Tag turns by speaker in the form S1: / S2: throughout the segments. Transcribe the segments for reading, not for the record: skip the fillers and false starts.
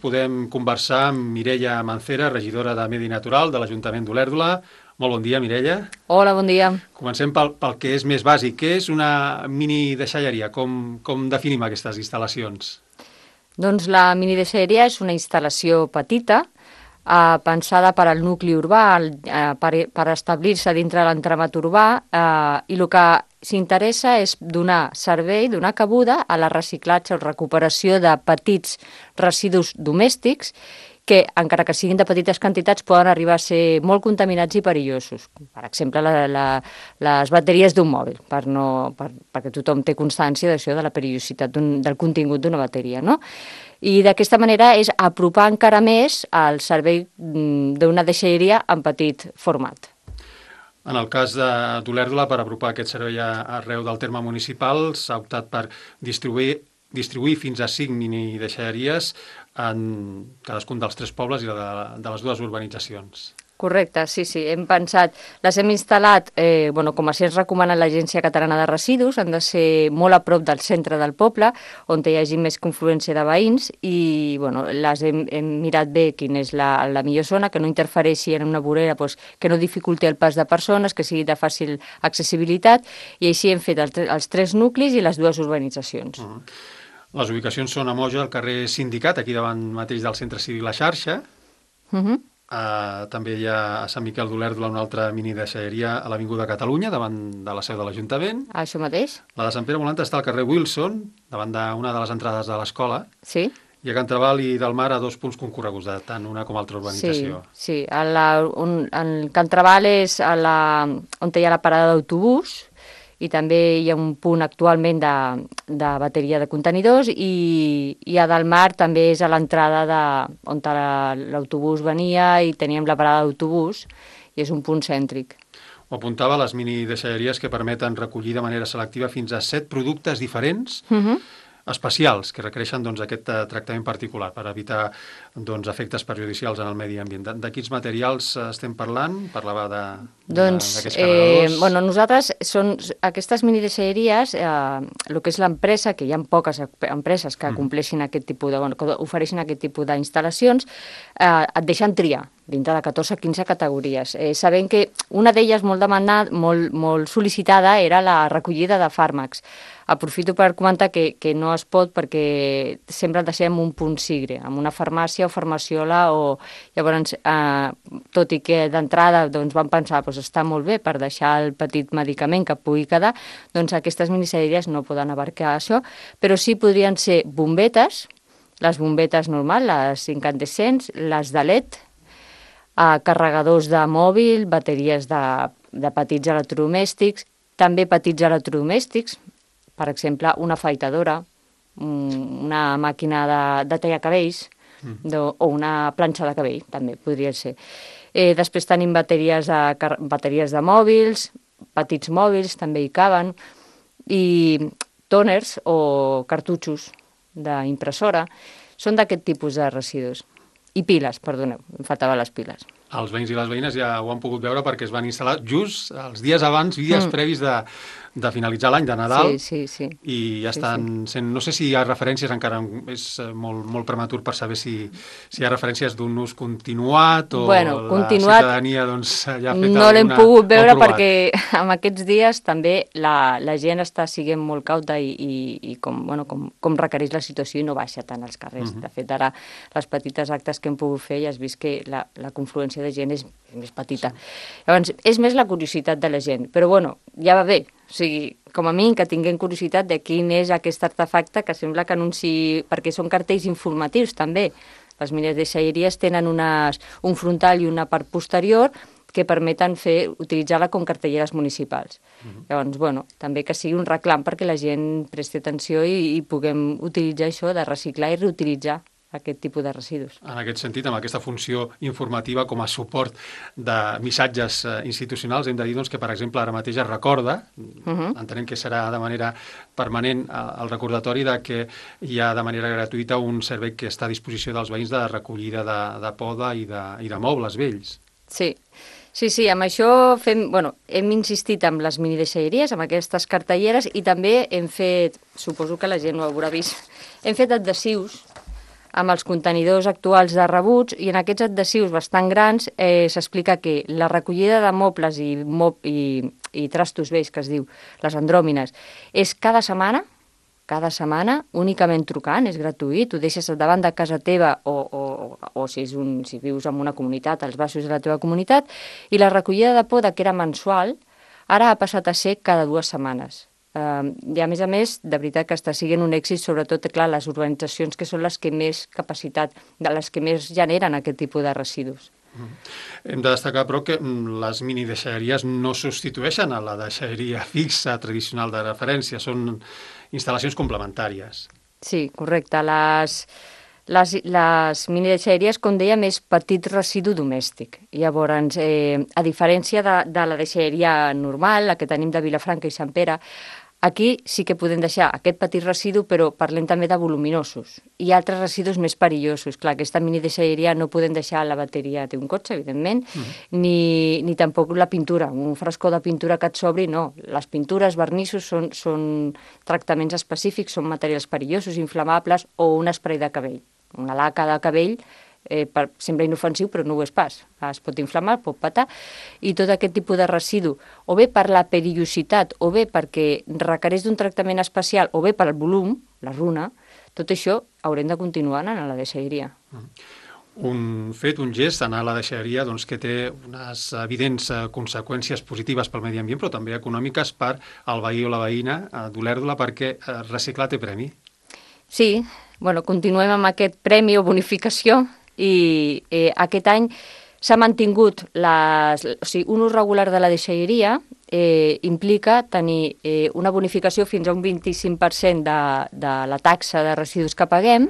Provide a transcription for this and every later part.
S1: Podem conversar amb Mireia Mancera, regidora de Medi Natural de l'Ajuntament d'Olèrdola. Molt bon dia, Mireia.
S2: Hola, bon dia.
S1: Comencem pel que és més bàsic. Què és una mini deixalleria? Com definim aquestes instal·lacions?
S2: Doncs la minideixalleria és una instal·lació petita, pensada per al nucli urbà, per establir-se dintre l'entramat urbà, i el que s'interessa és donar servei, donar cabuda a la reciclatge o recuperació de petits residus domèstics que, encara que siguin de petites quantitats, poden arribar a ser molt contaminats i perillosos. Per exemple, les bateries d'un mòbil, perquè tothom té constància d'això, de la perillositat del contingut d'una bateria, no? I d'aquesta manera és apropar encara més el servei d'una deixalleria en petit format.
S1: En el cas d'Olèrdola, per apropar aquest servei arreu del terme municipal, s'ha optat per distribuir fins a 5 mini deixalleries en cadascun dels 3 pobles i de les 2 urbanitzacions.
S2: Correcte, sí, hem pensat, les hem instal·lat, com així ens recomana l'Agència Catalana de Residus, han de ser molt a prop del centre del poble, on hi hagi més confluència de veïns, i les hem mirat bé quina és la millor zona, que no interfereixi en una vorera, que no dificulti el pas de persones, que sigui de fàcil accessibilitat, i així hem fet els 3 nuclis i les 2 urbanitzacions.
S1: Les ubicacions són a Moja, al carrer Sindicat, aquí davant mateix del Centre Cívic La Xarxa. També hi ha a Sant Miquel d'Olèrdola una altra mini deixalleria a l'Avinguda Catalunya, davant de la seu de l'Ajuntament.
S2: Això mateix.
S1: La de Sant Pere Volant està al carrer Wilson, davant d'una de les entrades de l'escola.
S2: Sí.
S1: I a Can Trabal i del Mar a 2 punts concorreguts, de tant una com altra urbanització.
S2: Sí. El Can Trabal és on hi ha la parada d'autobús, i també hi ha un punt actualment de bateria de contenidors, i a del Mar també és a l'entrada on l'autobús venia i teníem la parada d'autobús, i és un punt cèntric.
S1: Ho apuntava, les mini deixalleries que permeten recollir de manera selectiva fins a 7 productes diferents, especials, que requereixen aquest tractament particular per evitar efectes perjudicials en el medi ambient. De quins materials estem parlant? Parlava d'aquests carregadors.
S2: Nosaltres, aquestes minideixalleries, el que és l'empresa, que hi ha poques empreses que compleixin aquest tipus que ofereixin aquest tipus d'instal·lacions, et deixen triar dintre de 14-15 categories. Sabent que una d'elles molt demandada, molt sol·licitada, era la recollida de fàrmacs. Aprofito per comentar que no es pot perquè sempre el deixem un punt sigre, amb una farmàcia o farmaciola, llavors, tot i que d'entrada vam pensar està molt bé per deixar el petit medicament que pugui quedar, doncs aquestes minideixalleries no poden abarcar això, però sí podrien ser bombetes, les bombetes normals, les incandescents, les de LED, carregadors de mòbil, bateries de petits electrodomèstics, també petits electrodomèstics, per exemple, una afeitadora, una màquina de tallar cabells o una planxa de cabell, també podria ser. Després tenim bateries de mòbils, petits mòbils, també hi caben, i tòners o cartutxos d'impressora, són d'aquest tipus de residus. I piles, perdoneu, em faltaven les piles.
S1: Els veïns i les veïnes ja ho han pogut veure perquè es van instal·lar just els dies abans, dies previs de finalitzar l'any de Nadal.
S2: Sí.
S1: I ja estan sent... No sé si hi ha referències, encara és molt prematur per saber si hi ha referències d'un ús continuat o la ciutadania ja ha fet alguna...
S2: No l'hem pogut veure perquè en aquests dies també la gent està sent molt cauta i com requereix la situació i no baixa tant als carrers. De fet, ara les petites actes que hem pogut fer ja has vist que la confluència de gent és més petita. Llavors, és més la curiositat de la gent, però ja va bé. O sigui, com a mínim que tinguem curiositat de quin és aquest artefacte que sembla que anunciï, perquè són cartells informatius també. Les minideixalleries tenen un frontal i una part posterior que permeten utilitzar-la com cartelleres municipals. Llavors, també que sigui un reclam perquè la gent presti atenció i puguem utilitzar això de reciclar i reutilitzar aquest tipus de residus.
S1: En aquest sentit, amb aquesta funció informativa com a suport de missatges institucionals, hem de dir que, per exemple, ara mateix es recorda, entenem que serà de manera permanent el recordatori de que hi ha de manera gratuïta un servei que està a disposició dels veïns de recollida de poda i de mobles vells.
S2: Sí, amb això hem insistit amb les minideixalleries, amb aquestes cartelleres, i també hem fet, suposo que la gent ho haurà vist, hem fet adhesius amb els contenidors actuals de rebuts, i en aquests adhesius bastant grans s'explica que la recollida de mobles i trastos vells, que es diu, les andròmines, és cada setmana, únicament trucant, és gratuït, ho deixes davant de casa teva o si vius en una comunitat, als baixos de la teva comunitat, i la recollida de poda, que era mensual, ara ha passat a ser cada 2 setmanes. I a més, de veritat que està sent un èxit, sobretot, clar, les urbanitzacions que són les que més capacitat, les que més generen aquest tipus de residus.
S1: Hem de destacar, però, que les minideixalleries no substitueixen a la deixalleria fixa tradicional de referència, són instal·lacions complementàries.
S2: Sí, correcte. Les minideixalleries, com dèiem, és petit residu domèstic. Llavors, a diferència de la deixalleria normal, la que tenim de Vilafranca i Sant Pere, aquí sí que podem deixar aquest petit residu, però parlem també de voluminosos i altres residus més perillosos. Clar, aquesta minideixalleria no podem deixar la bateria d'un cotxe, evidentment, ni tampoc la pintura. Un frascó de pintura que et sobri, no. Les pintures, vernissos, són tractaments específics, són materials perillosos, inflamables, o un esprai de cabell. Una laca de cabell sembla inofensiu, però no ho és pas. Es pot inflamar, pot petar, i tot aquest tipus de residu, o bé per la perillositat, o bé perquè requereix d'un tractament especial, o bé pel volum, la runa, tot això haurem de continuar anant a la deixalleria.
S1: Un fet, un gest, anar a la deixalleria, doncs, que té unes evidents conseqüències positives pel medi ambient, però també econòmiques per al veí o la veïna d'Olèrdola, perquè reciclar té premi. Sí,
S2: continuem amb aquest premi o bonificació, i aquest any s'ha mantingut un ús regular de la deixalleria, implica tenir una bonificació fins a un 25% de la taxa de residus que paguem,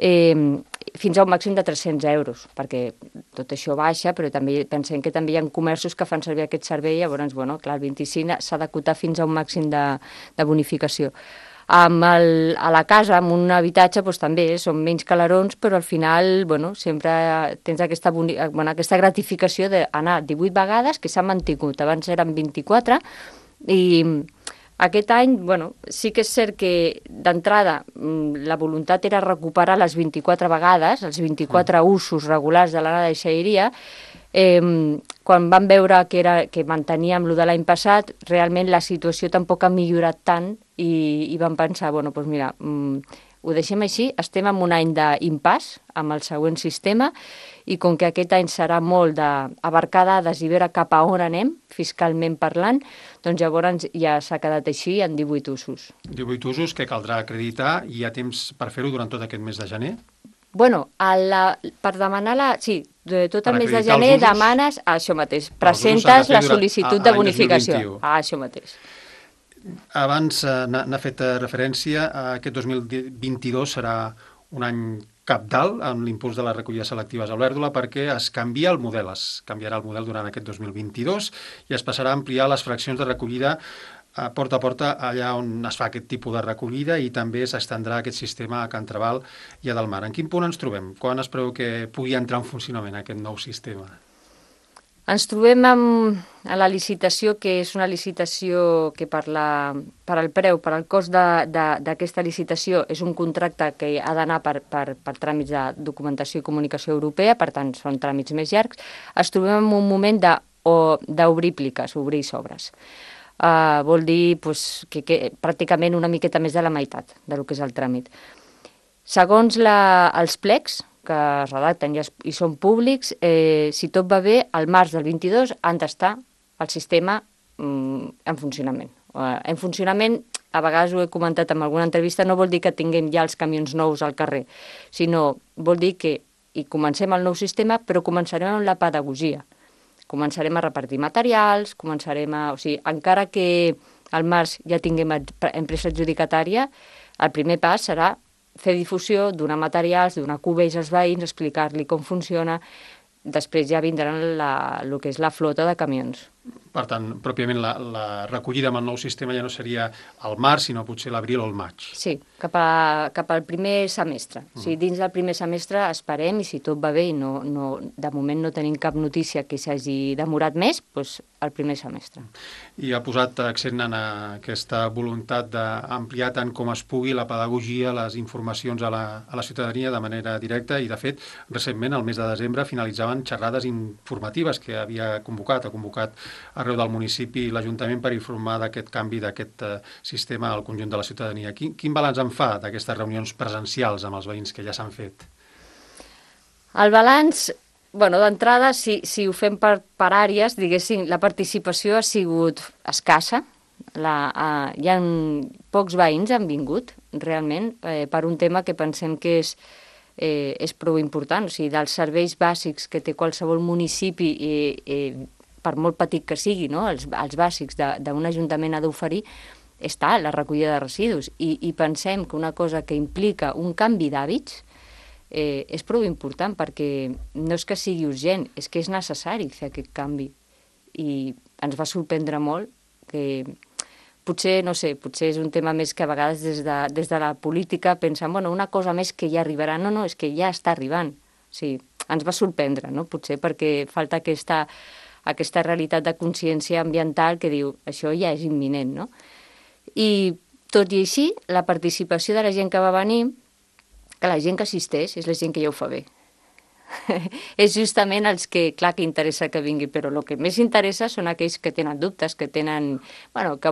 S2: fins a un màxim de 300 euros, perquè tot això baixa, però també pensem que també hi ha comerços que fan servir aquest servei, llavors, clar, el 25 s'ha d'acotar fins a un màxim de bonificació. A la casa, en un habitatge, també són menys calarons, però al final sempre tens aquesta gratificació d'anar 18 vegades, que s'ha mantingut. Abans eren 24, i aquest any, sí que és cert que d'entrada la voluntat era recuperar les 24 vegades, els 24 usos regulars de la deixalleria. Quan vam veure que manteníem el de l'any passat, realment la situació tampoc ha millorat tant, i vam pensar, mira, ho deixem així, estem en un any d'impàs amb el següent sistema, i com que aquest any serà molt d'abarcar dades i veure cap a on anem, fiscalment parlant, doncs llavors ja s'ha quedat així en 18 usos.
S1: 18 usos que caldrà acreditar, i hi ha temps per fer-ho durant tot aquest mes de gener?
S2: Per demanar tot el mes de gener demanes això mateix, presentes la sol·licitud de bonificació. Això mateix.
S1: Abans n'ha fet referència, aquest 2022 serà un any cabdal en l'impuls de les recollides selectives a Olèrdola, perquè es canviarà el model durant aquest 2022 i es passarà a ampliar les fraccions de recollida porta a porta allà on es fa aquest tipus de recollida, i també s'estendrà aquest sistema a Can Trabal i a Delmar. En quin punt ens trobem? Quan es preveu que pugui entrar en funcionament aquest nou sistema?
S2: Ens trobem a la licitació, que és una licitació que per al preu, per al cost d'aquesta licitació, és un contracte que ha d'anar per tràmits de documentació i comunicació europea, per tant són tràmits més llargs. Es trobem en un moment d'obrir pliques, obrir sobres. Vol dir que pràcticament una miqueta més de la meitat del que és el tràmit. Segons els plecs que es redacten i són públics, si tot va bé, al març del 22 han d'estar el sistema en funcionament. En funcionament, a vegades ho he comentat en alguna entrevista, no vol dir que tinguem ja els camions nous al carrer, sinó vol dir que comencem el nou sistema, però començarem amb la pedagogia. Començarem a repartir materials, encara que al març ja tinguem empresa adjudicatària, el primer pas serà fer difusió, donar materials, donar cubells als veïns, explicar-li com funciona. Després ja vindran el que és la flota de camions.
S1: Per tant, pròpiament la recollida amb el nou sistema ja no seria al març, sinó potser l'abril o el maig.
S2: Sí, cap al primer semestre. O sigui, dins del primer semestre esperem, i si tot va bé i de moment no tenim cap notícia que s'hagi demorat més, doncs el primer semestre.
S1: I ha posat accent en aquesta voluntat d'ampliar tant com es pugui la pedagogia, les informacions a la ciutadania de manera directa i, de fet, recentment, al mes de desembre, finalitzaven xerrades informatives que ha convocat arreu del municipi i l'Ajuntament per informar d'aquest canvi, d'aquest sistema al conjunt de la ciutadania. Quin balanç en fa d'aquestes reunions presencials amb els veïns que ja s'han fet?
S2: El balanç, d'entrada, si ho fem per àrees, diguéssim, la participació ha sigut escassa. Hi ha pocs veïns han vingut, realment, per un tema que pensem que és prou important. O sigui, dels serveis bàsics que té qualsevol municipi, per molt petit que sigui, no? Els bàsics d'un ajuntament ha d'oferir, està la recollida de residus. I pensem que una cosa que implica un canvi d'hàbits és prou important, perquè no és que sigui urgent, és que és necessari fer aquest canvi. I ens va sorprendre molt que potser és un tema més que a vegades des de la política pensem, una cosa més que ja arribarà. No, és que ja està arribant. O sigui, ens va sorprendre, no? Potser perquè falta aquesta realitat de consciència ambiental que diu això ja és imminent, no? I tot i així, la participació de la gent que va venir, que la gent que assisteix és la gent que ja ho fa bé. És justament els que, clar, que interessa que vingui, però el que més interessa són aquells que tenen dubtes, que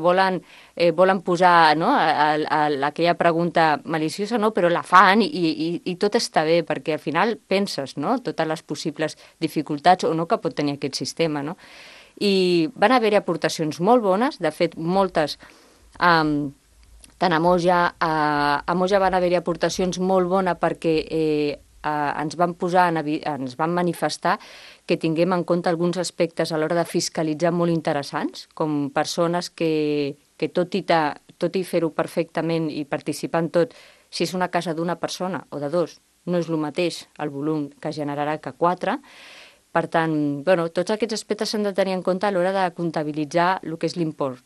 S2: volen posar, no, aquella pregunta maliciosa, no, però la fan i tot està bé, perquè al final penses, no, totes les possibles dificultats o no que pot tenir aquest sistema, no? I van haver-hi aportacions molt bones, de fet, moltes, tant a Moja van haver-hi aportacions molt bones perquè ens van manifestar que tinguem en compte alguns aspectes a l'hora de fiscalitzar molt interessants, com persones que tot i fer-ho perfectament i participar en tot, si és una casa d'una persona o de dos, no és el mateix el volum que generarà que 4. Per tant, tots aquests aspectes s'han de tenir en compte a l'hora de comptabilitzar el que és l'impost,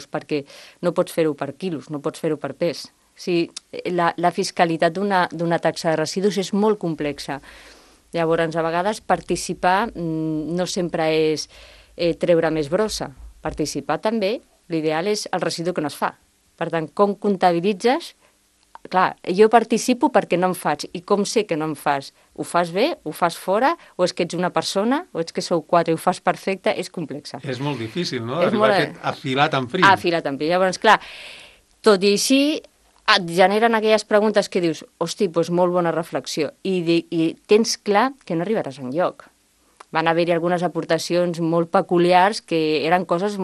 S2: perquè no pots fer-ho per quilos, no pots fer-ho per pes. O sigui, la fiscalitat d'una taxa de residus és molt complexa. Llavors, a vegades, participar no sempre és treure més brossa. Participar també, l'ideal és el residu que no es fa. Per tant, com comptabilitzes? Clar, jo participo perquè no em faig. I com sé que no em fas? Ho fas bé? Ho fas fora? O és que ets una persona? O és que sou 4 i ho fas perfecte? És complexa.
S1: És molt difícil, no? Arribar a aquest afilat en prim.
S2: Afilat en prim. Llavors, clar, tot i així, et generen aquelles preguntes que dius, hosti, doncs molt bona reflexió. I tens clar que no arribaràs enlloc. Van haver-hi algunes aportacions molt peculiars que eren coses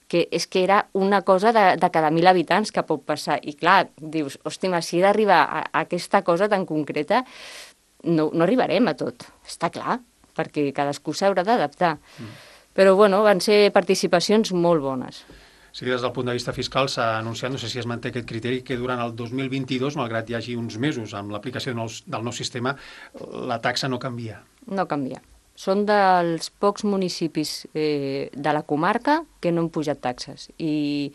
S2: que era una cosa de cada 1.000 habitants que pot passar. I clar, dius, hosti, si he d'arribar a aquesta cosa tan concreta, no arribarem a tot, està clar, perquè cadascú s'haurà d'adaptar. Però, van ser participacions molt bones.
S1: Sí, des del punt de vista fiscal s'ha anunciat, no sé si es manté aquest criteri, que durant el 2022, malgrat hi hagi uns mesos amb l'aplicació del nou sistema, la taxa no canvia.
S2: No canvia. Són dels pocs municipis de la comarca que no han pujat taxes. I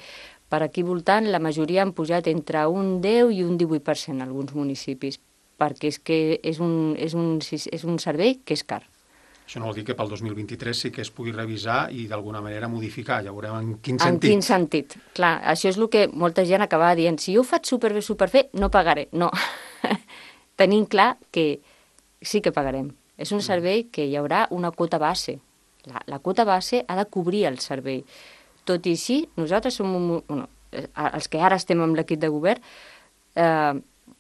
S2: per aquí voltant la majoria han pujat entre un 10 i un 18% alguns municipis, perquè és que és un servei que és car.
S1: Això no vol dir que pel 2023 sí que es pugui revisar i d'alguna manera modificar. Ja veurem en quin sentit.
S2: En quin sentit. Clar, això és el que molta gent acaba dient. Si jo ho faig superbé, no pagaré. No. Tenim clar que sí que pagarem. És un servei que hi haurà una quota base. La quota base ha de cobrir el servei. Tot i així, nosaltres som els que ara estem amb l'equip de govern,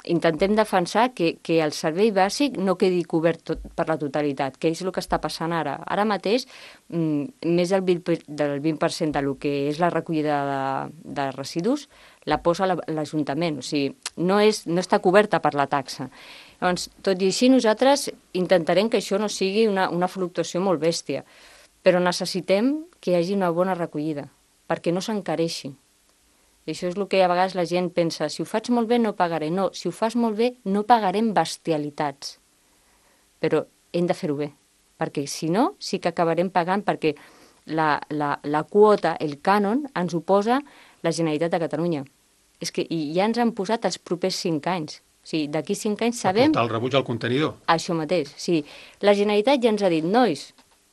S2: intentem defensar que el servei bàsic no quedi cobert per la totalitat, que és el que està passant ara. Ara mateix, més del 20% del que és la recollida de residus la posa l'Ajuntament, o sigui, no està coberta per la taxa. Llavors, tot i així, nosaltres intentarem que això no sigui una fluctuació molt bèstia, però necessitem que hi hagi una bona recollida, perquè no s'encareixi. I això és el que a vegades la gent pensa, si ho faig molt bé no pagaré. No, si ho fas molt bé no pagarem bestialitats, però hem de fer-ho bé, perquè si no sí que acabarem pagant, perquè la quota, el cànon, ens ho posa la Generalitat de Catalunya. És que ja ens han posat els propers 5 anys. O sigui, d'aquí 5 anys sabem...
S1: Per portar el rebuig al contenidor.
S2: Això mateix, sí. La Generalitat ja ens ha dit, nois,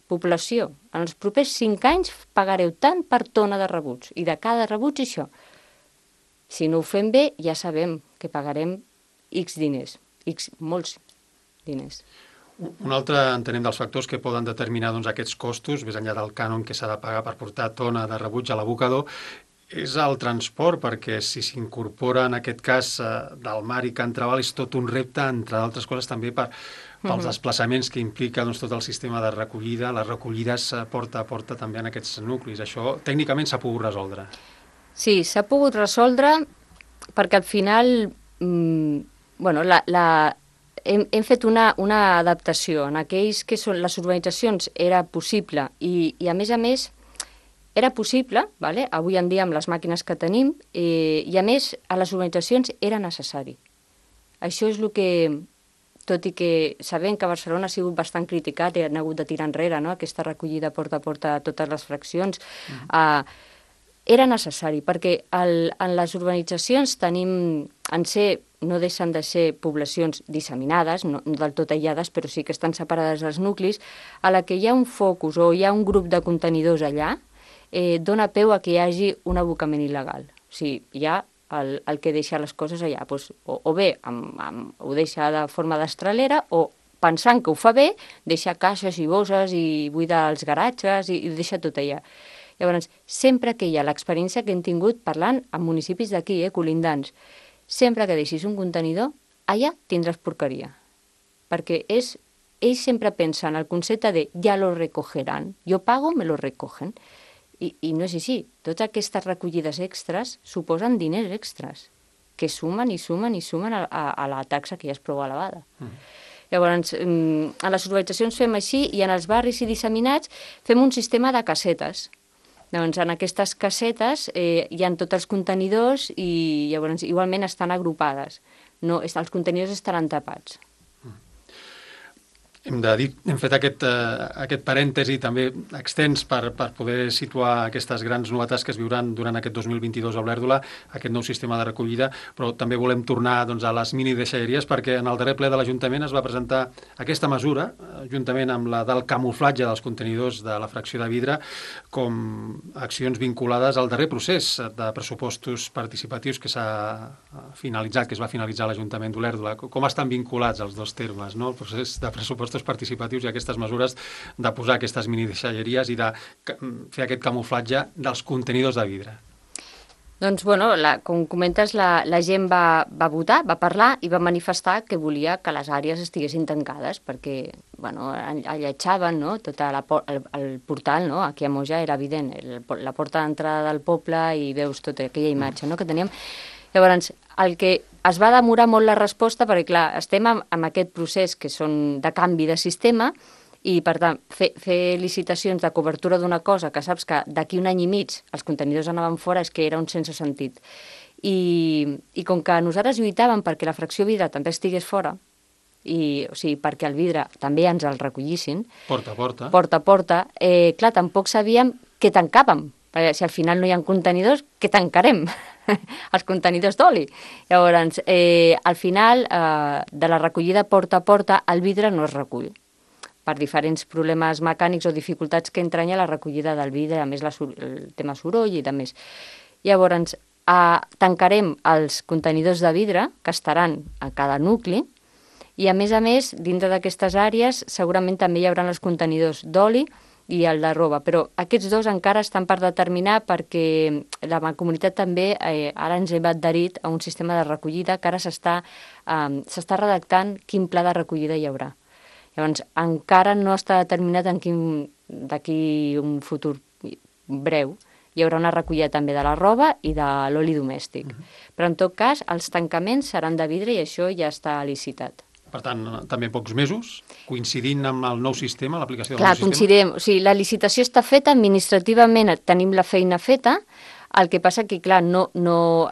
S2: població, en els propers 5 anys pagareu tant per tona de rebuig, i de cada rebuig això. Si no ho fem bé, ja sabem que pagarem X diners, molts diners.
S1: Un altre, entenem, dels factors que poden determinar aquests costos, més enllà del cànon que s'ha de pagar per portar tona de rebuig a l'abocador, és el transport, perquè si s'incorpora en aquest cas del mar i Can Trabal és tot un repte, entre d'altres coses també pels desplaçaments que implica tot el sistema de recollida, les recollides porta a porta també en aquests nuclis. Això tècnicament s'ha pogut resoldre.
S2: Sí, s'ha pogut resoldre perquè al final hem fet una adaptació. En aquells que són les urbanitzacions era possible i a més, era possible, vale? Avui en dia amb les màquines que tenim, i a més a les urbanitzacions era necessari. Això és el que, tot i que sabem que Barcelona ha sigut bastant criticat i han hagut de tirar enrere, no? Aquesta recollida porta a porta a totes les fraccions, era necessari, perquè en les urbanitzacions no deixen de ser poblacions disseminades, no del tot aïllades, però sí que estan separades dels nuclis, a la que hi ha un focus o hi ha un grup de contenidors allà, dona peu a que hi hagi un abocament il·legal. O sigui, hi ha el que deixa les coses allà, doncs, o bé ho deixa de forma destralera, o pensant que ho fa bé, deixa caixes i bosses i buida els garatges i deixa tot allà. Llavors, sempre que hi ha l'experiència que hem tingut parlant amb municipis d'aquí, colindants, sempre que deixis un contenidor, allà tindràs porqueria. Perquè ells sempre pensen el concepte de ja lo recogeran, jo pago, me lo recogen. I no és així. Totes aquestes recollides extres suposen diners extras, que sumen i sumen i sumen a la taxa que ja és prou elevada. Llavors, a les urbanitzacions fem així i en els barris i disseminats fem un sistema de casetes. Llavors, en aquestes casetes hi ha tots els contenidors i llavors igualment estan agrupades. No, els contenidors estaran tapats.
S1: Hem de dir, hem fet aquest parèntesi també extens per poder situar aquestes grans novetats que es viuran durant aquest 2022 a Olèrdola, aquest nou sistema de recollida, però també volem tornar a les minideixalleries perquè en el darrer ple de l'Ajuntament es va presentar aquesta mesura, juntament amb la del camuflatge dels contenidors de la fracció de vidre, com accions vinculades al darrer procés de pressupostos participatius que s'ha finalitzat, que es va finalitzar a l'Ajuntament d'Olèrdola. Com estan vinculats els dos termes, no? El procés de pressupostos participatius i aquestes mesures de posar aquestes minideixalleries i de fer aquest camuflatge dels contenidors de vidre?
S2: Doncs, com comentes, la gent va votar, va parlar i va manifestar que volia que les àrees estiguessin tancades perquè, alletjaven, no? Tot el portal, no? Aquí a Moja era evident, la porta d'entrada del poble i veus tota aquella imatge, no? Que teníem. Llavors, el que es va demorar molt la resposta, perquè clar, estem en aquest procés que són de canvi de sistema i, per tant, fer licitacions de cobertura d'una cosa que saps que d'aquí un any i mig els contenidors anaven fora és que era un sense sentit. I com que nosaltres lluitàvem perquè la fracció vidre també estigués fora, o sigui, perquè el vidre també ens el recollissin,
S1: porta
S2: a porta, clar, tampoc sabíem què tancàvem. Si al final no hi ha contenidors, què tancarem? Els contenidors d'oli. Llavors, al final, de la recollida porta a porta, el vidre no es recull per diferents problemes mecànics o dificultats que entranya la recollida del vidre, a més el tema soroll i de més. Llavors, tancarem els contenidors de vidre, que estaran a cada nucli, i a més, dintre d'aquestes àrees, segurament també hi haurà els contenidors d'oli i el de roba, però aquests dos encara estan per determinar perquè la comunitat també ara ens hem adherit a un sistema de recollida que ara s'està redactant quin pla de recollida hi haurà. Llavors, encara no està determinat d'aquí un futur breu. Hi haurà una recollida també de la roba i de l'oli domèstic. Però, en tot cas, els tancaments seran de vidre i això ja està licitat.
S1: Per tant, també pocs mesos, coincidint amb el nou sistema, l'aplicació del
S2: nou
S1: sistema? Clar,
S2: coincidirem. O sigui, la licitació està feta, administrativament tenim la feina feta, el que passa que, clar, no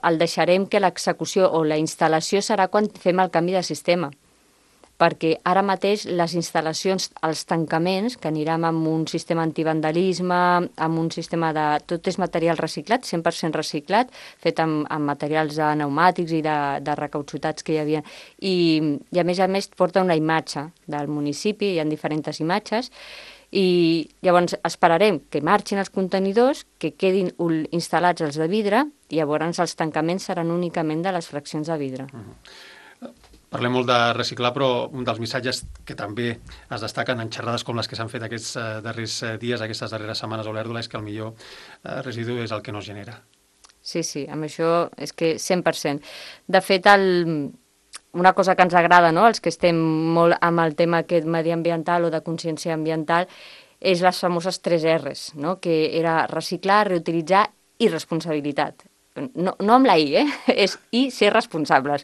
S2: el deixarem que l'execució o la instal·lació serà quan fem el canvi de sistema. perquè ara mateix les instal·lacions, els tancaments, que anirem amb un sistema antivandalisme, amb un sistema de... Tot és material reciclat, 100% reciclat, fet amb materials pneumàtics i de recauchutats que hi havia. I a més porta una imatge del municipi, hi ha diferents imatges, i llavors esperarem que marxin els contenidors, que quedin instal·lats els de vidre, i llavors els tancaments seran únicament de les fraccions de vidre.
S1: Parlem molt de reciclar, però un dels missatges que també es destaquen en xerrades com les que s'han fet aquests darrers dies, aquestes darreres setmanes a Olèrdola, és que el millor residu és el que no es genera.
S2: Sí, amb això és que 100%. De fet, una cosa que ens agrada, no?, els que estem molt amb el tema aquest mediambiental o de consciència ambiental, és les famoses 3 Rs, no?, que era reciclar, reutilitzar i responsabilitat. No amb la I, és I, ser responsables.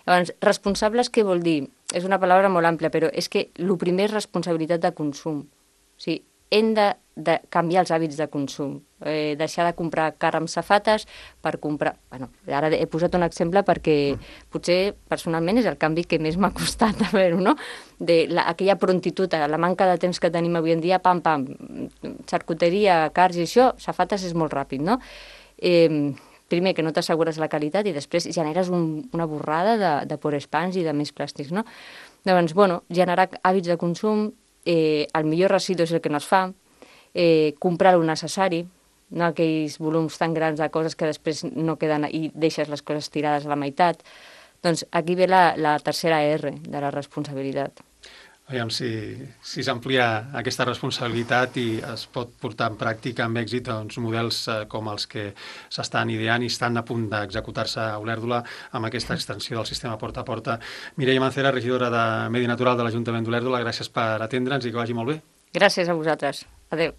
S2: Llavors, responsables què vol dir? És una paraula molt àmplia, però és que el primer és responsabilitat de consum. O sigui, hem de canviar els hàbits de consum, deixar de comprar carn amb safates per comprar... Bueno, ara he posat un exemple perquè potser personalment és el canvi que més m'ha costat a veure, no? Aquella prontitud, la manca de temps que tenim avui en dia, pam, xarcuteria, carns i això, safates és molt ràpid, no? Primer, que no t'assegures la qualitat i després generes una borrada de porespans i de més plàstics, no? Llavors, generar hàbits de consum, el millor residu és el que no es fa, comprar el necessari, no aquells volums tan grans de coses que després no queden i deixes les coses tirades a la meitat. Doncs aquí ve la tercera R de la responsabilitat.
S1: Aviam si s'amplia aquesta responsabilitat i es pot portar en pràctica amb èxit models com els que s'estan ideant i estan a punt d'executar-se a Olèrdola amb aquesta extensió del sistema porta a porta. Mireia Mancera, regidora de Medi Natural de l'Ajuntament d'Olèrdola, gràcies per atendre'ns i que vagi molt bé.
S2: Gràcies a vosaltres. Adéu.